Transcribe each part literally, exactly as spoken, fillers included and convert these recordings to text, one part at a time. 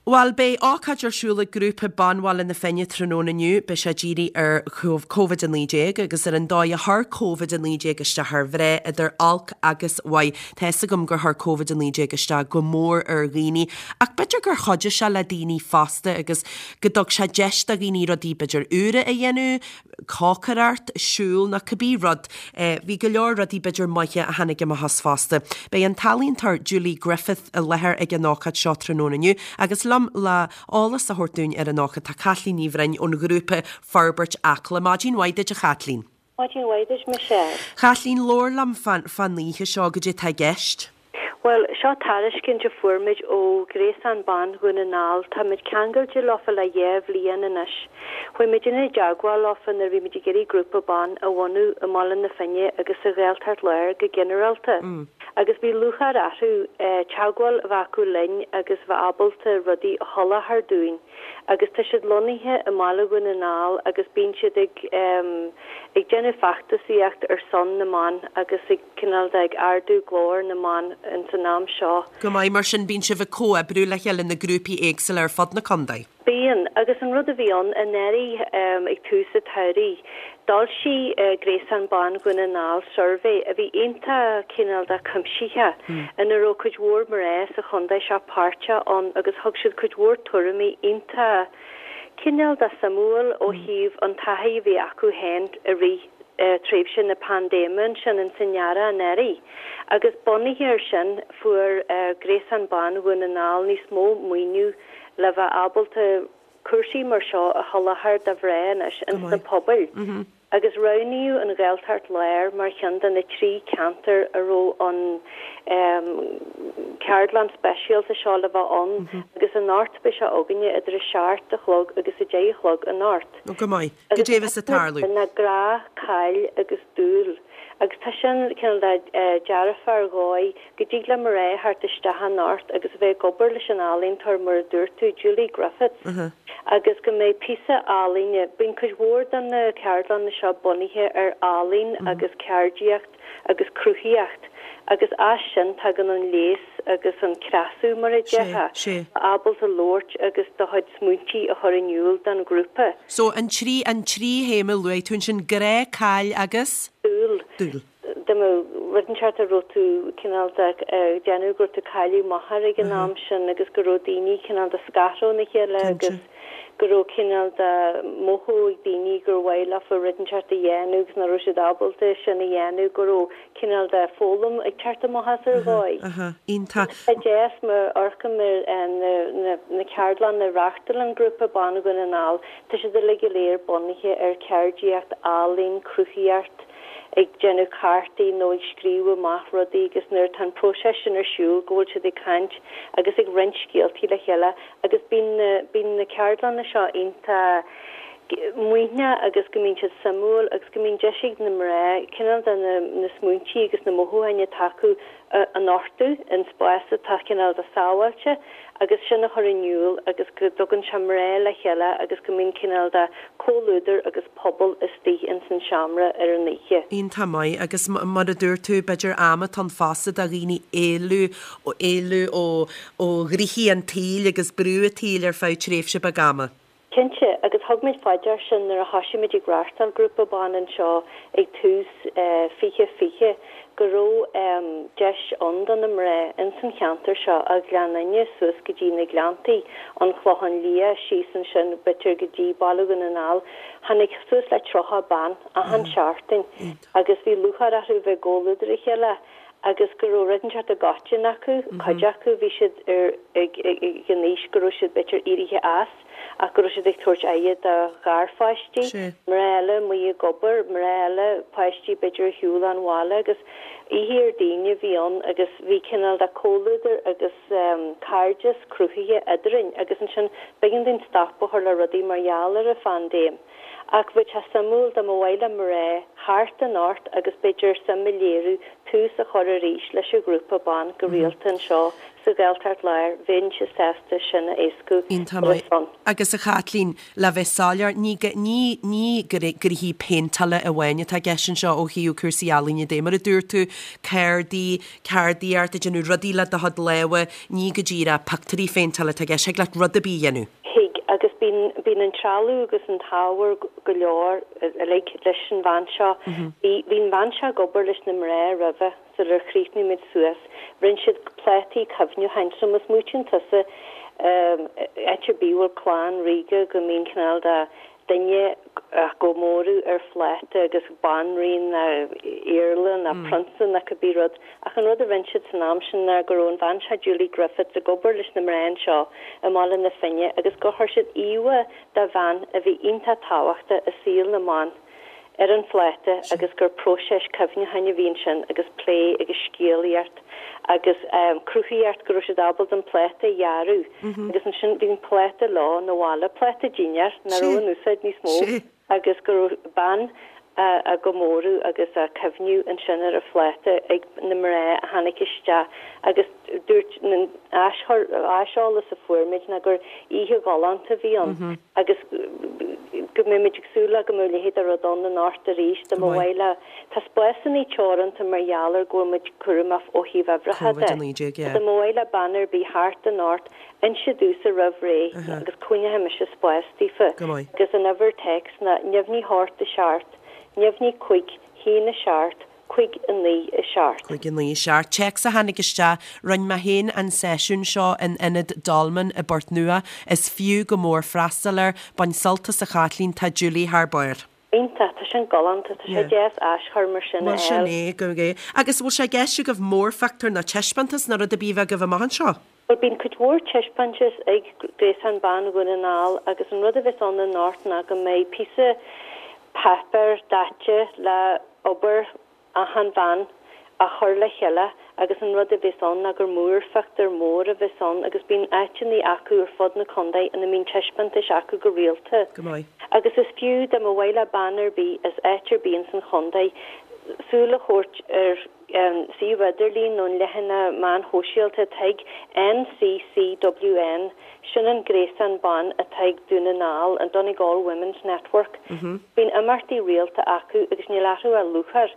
Bhuel beidh ócáid ar siúl ag grúpa Ban Bhaile na Finne tráthnóna inniu beidh sé dírithe ar Covid a naoi déag agus ar an dóigh a chuir Covid a naoi déag isteach ar mhná idir olc agus mhaith. Tá fhios agam gur chuir Covid a naoi déag isteach go mór ar dhaoine ach b'fhéidir gur chuidigh sé le daoine fosta agus go dtug sé deis do dhaoine rudaí b'fhéidir úra a dhéanamh, cócaireacht, siúl nó cibé rud. Bhí go leor rudaí b'fhéidir maithe a tháinig amach as fosta. Beidh an t-ealaíontóir Julie Griffith i láthair ag an ócáid seo tráthnóna inniu agus liom le eolas a thabhairt dúinn ar an ócáid tá Caitlín Ní Bhroin ón ghrúpa Forbairt Acla. Maidin mhaith duit a Chaitlín. Maidin mhaith duit Michelle. Caitlín labhair liom fán oíche seo goidé atá i gceist. Bhuel, seo tairiscint a fuair muid ó Ghréasán Ban Dhún na nGall. Tá muid ceangailte leofa le dhá bhliain anois. Chuaigh muid i dteagmháil leofa nuair a bhí muid ag iarraidh grúpa ban a bhunú i mBaile na Finne agus sa Ghaeltacht Láir go ginearálta. Agus bhí lúcháir orthu teagmháil a bheith acu linn agus bheith ábalta rudaí a sholáthar dúinn. Agus tá siad lonnaithe i mBaile Dhún na nGall agus bíonn siad ag ag déanamh feachtasaíocht ar son na mban agus ag cineál de ag ardú glór na mban ins an am seo. Go maith, mar sin bíonn sibh ag comhoibriú le chéile na grúpaí éagsúla ar fud na contae. Bíonn, agus an rud a bhí ann anuraidh ag tús an tsamhraidh, d'fhoilsigh Gréasán Ban Dhún na nGall suirbhé a bhí iontach cineál de cuimsitheach ina raibh cuid mhór mná sa chontae seo páirteach ann agus thug siad cuid mhór tuairimí iontach cineál de suimiúil ó thaobh an taithí a bhí acu féin i rith tréimhse na paindéime ansin in san earrach anuraidh. Agus bunaithe ar sin fuair Gréasán Ban Dhún na nGall níos mó maoiniú le bheith ábalta cúrsaí mar seo a sholáthar do mhná anois ins na pobail. Agus roghnaíodh an Ghaeltacht Láir mar cheann de na trí cheantar a raibh an ceardlann speisialta seo le bheith ann agus anocht beidh sé againne idir a seacht a chlog agus a deich a chlog anocht. Go maith. Goidé a bheas ag tarlú. Na grá, caill agus dúil. Agus tá sin cineál de dearfa ar dhóigh go dtig le mná theacht isteach anocht agus a bheith ag obair leis an ealaíontóir mar a dúirt tú, Julie Griffiths. Agus go mbeidh píosa ealaíne, bíonn cuid mhór de na ceardlanna seo bunaithe ar ealaín agus ceardaíocht agus cruthaíocht agus as sin tagann an léas agus an cneasú mar a déarfá, ábalta labhairt agus do chuid smaointí a chur in iúl don ghrúpa. So an trí an trí théama a luaigh tú ansin, grá, caill agus? Dúil. Dúil. Dá mbeadh rud inteacht a raibh tú cineál de ag déanamh go raibh tú ag cailleadh máthar ag an am sin agus go raibh daoine cineál de scartha óna chéile agus go raibh cineál de mothú ag daoine gur mhaith leofa rud inteacht a dhéanamh agus nach raibh siad ábalta sin a dhéanamh, go raibh cineál de foghlaim ag teacht amach as ar dhóigh. Iontach. Tá deas mar amharcaim ar na na ceardlanna a reáchtálann Grúpa Ban Dhún na nGall, tá siad uilig go léir bunaithe ar cheardaíocht, ealaín, cruthaíocht, ag déanamh cártaí nó ag scríobh amach rudaí agus nuair atá an próiseas sin ar siúl go bhfuil siad ag caint agus ag roinnt scéaltaí le chéile agus bíonn na bíonn na ceardlanna seo iontach maoithneach agus go mbíonn siad suimiúil agus go mbíonn deis ag na mná cineál de na na smaointí agus na mothúcháin atá acu a nochtadh in spás atá cineál de sábháilte agus sin a chur in iúl agus go dtugann sé mná le chéile agus go mbíonn cineál de comhluadar agus pobal istigh ins an seomra ar an oíche. Iontach maith agus mar a dúirt tú b'fhéidir am atá ann fosta do dhaoine éalú éalú ó ó ghnoithí an tsaoil agus brú an tsaoil ar feadh tréimhse beag ama. Cinnte, agus thug muid faoi dear sin nuair a thoisigh muid ag reáchtáil grúpa ban anseo ag tús fiche fiche, go raibh deis ann do na mná ins an cheantar seo, ó Ghleann Fhinne suas go dtí na Gleanntaí, an Clochán Liath, síos ansin b'fhéidir go dtí Baile Dhún na nGall. Tháinig suas le tríocha bean achan seachtain agus bhí lúcháir orthu bheith i gcomhluadar a chéile agus go raibh rud inteacht i gcoiteann acu, cuid acu, bhí siad ar ag ag an aois go raibh siad b'fhéidir éirithe as ach go raibh siad ag tabhairt aire do gharpháistí, mná eile amuigh ag obair, mná eile, páistí b'fhéidir ar shiúl ón bhaile agus oíche ar daoine a bhí ann agus bhí cineál de comhluadar agus cairdeas cruthaithe eadrainn agus ansin b'éigean dúinn stop a chur le rudaí mar gheall ar an phaindéim. Ach bheadh sé suimiúil dá mba mhaith le mná theacht anocht agus b'fhéidir suim a léiriú tús a chur arís leis an ghrúpa ban go rialta anseo sa Ghaeltacht Láir, bheinnse sásta sin a éascú. Iontach maith. Agus a Chaitlín, le bheith soiléir, ní ní ní gnoithí péinteála amháin atá i gceist anseo ó thaobh cúrsaí ealaíne de. Mar a dúirt tú, ceardaí, ceardaíocht, ag déanamh rudaí le do chuid lámha, ní go díreach pictiúirí phéinteála atá i gceist, thig leat rud ar bith a dhéanamh. Thig, agus bíonn bíonn an trealamh agus an t-ábhar go leor uilig leis an bhean seo. Bhí bhí an bhean seo ag obair leis na mná roimhe sular chríochnaigh muid suas. Rinne siad plátaí cuimhneacháin, so má smaoitíonn tusa áit ar bith a bhfuil clann ríoga go mbíonn cineál de duine á gcomóradh ar phláta agus banríon nó iarla nó prionsa nó cibé rud. Ach an rud a rinne siad san am sin ná go raibh an bhean seo Julie Griffiths ag obair leis na mná anseo i mBaile na Finne agus gur chuir siad íomhá de bhean a bhí iontach tábhachtach i saol na mban ar an phláta agus gur próiseas cuimhneacháin a bhí ansin agus plé agus scéalaíocht agus cruthaíocht go raibh siad ábalta an pláta a dhearadh agus ansin bhí an pláta leo 'na bhaile, pláta dinnéir nach raibh in úsáid níos mó agus go raibh bean á gcomóradh agus á cuimhniú ansin ar an phláta ag na mná a tháinig isteach agus dúirt an aiseolas a fuair muid ná gur oíche ghalánta a bhí ann agus go mbeimid ag súil le go mbeidh a leithéid de rud ann anocht arís dá mba mhaith le Tá spásanna teoranta mar gheall ar go bhfuil muid cúramach ó thaobh uimhreacha de. Covid a naoi déag, yeah. Dá mba mhaith le bean ar bith theacht anocht, inse domhsa roimh ré agus coinneoidh mise spás daofa. Go maith. Agus an uimhir téacs ná neamhní hocht a seacht, neamhní cúig, haon a seacht, cúig a naoi a seacht. Cúig a naoi a seacht. Téacs a tháinig isteach, Rinne mé féin an seisiún seo in Ionad Dolmen i bPort Nua. Is fiú go mór freastal air. Bain sult as a Chaitlín, tá Julie thar barr. Iontach, tá sin galánta, tá sé deas aschur mar sin a Bhuel sin fháil. é, go é. Agus bhfuil sé i gceist agaibh mórphictiúr nó taispeántas nó rud ar bith a bheith agaibh amach anseo? Bhuel bíonn cuid mhór taispeántais ag Gréasán Ban Dhún na nGall agus an rud a bheas ann anocht ná go mbeidh píosa páipéir daite le obair achan bhean á chur le chéile agus an rud a bheas ann ná gur múrphictiúr mór a bheas ann agus bíonn áiteanna acu ar fud na contae ina mbíonn taispeántais acu go rialta. Go maith. Agus is fiú dá mba mhaith le bean ar bith as áit ar bith ins an chontae súil a thabhairt ar suíomh idirlín nó an leathanach meáin shóisialta atá ag NCCWN, sin an gréasán ban atá ag Dún na nGall, an Donegal Women's Network. Bíonn imeachtaí rialta acu agus níl orthu ach lúcháir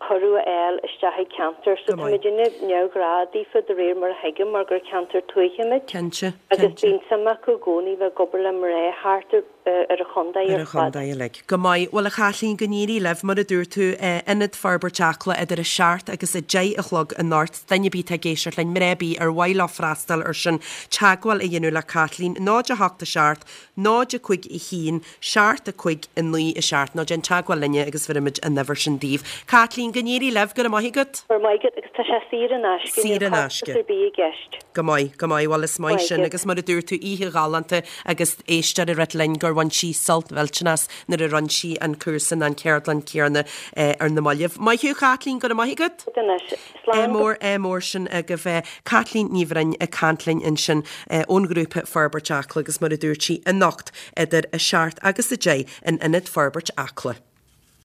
cuireadh a fháil isteach ag ceantar so Go tá maith. muid ag neamhghrá daofa de réir mar a thuigim mar gur ceantar tuaithe muid. Cinnte, Agus cinnte. bíonn suim acu i gcónaí bheith ag obair le mná thart ar ar an chontae Ar ar an fad. chontae uilig. Go maith. Bhuel a Chaitlín, go n-éirí libh, mar a dúirt tú, Ionad Forbairt Acla idir a seacht agus a deich a chlog anocht. Duine ar bith atá ag éisteacht linn, mná ar bith ar mhaith leo freastal ar sin, teagmháil a dhéanamh le Caitlín, náid a hocht a seacht, náid a cúig a haon, seacht a cúig a naoi a seacht, nó déan teagmháil linne agus bhéarfaimid an uimhir sin daoibh. Caitlín, go n-éirí libh, go raibh maith agat. Go raibh maith agat agus tá sé saor in aisce, Saor níl in costas aisce. ar bith i gceist. Go maith, go maith, bhuel is maith Maith sin agat. agus mar a dúirt tú oíche ghalánta agus éisteoir a rá linn gur bhain sí sult mhillteanach nuair a rinne sí an cúrsa an ceardlann céanna eh, ar na mallaibh. Maith thú Caitlín, go raibh maith agat. Anois, É slán go mór é mór sin agaibh eh, Caitlín Ní Bhroin ag caint linn ansin eh, ón ghrúpa Forbairt Acla agus mar a dúirt sí anocht idir a seacht agus a deich in Ionad Forbairt Acla.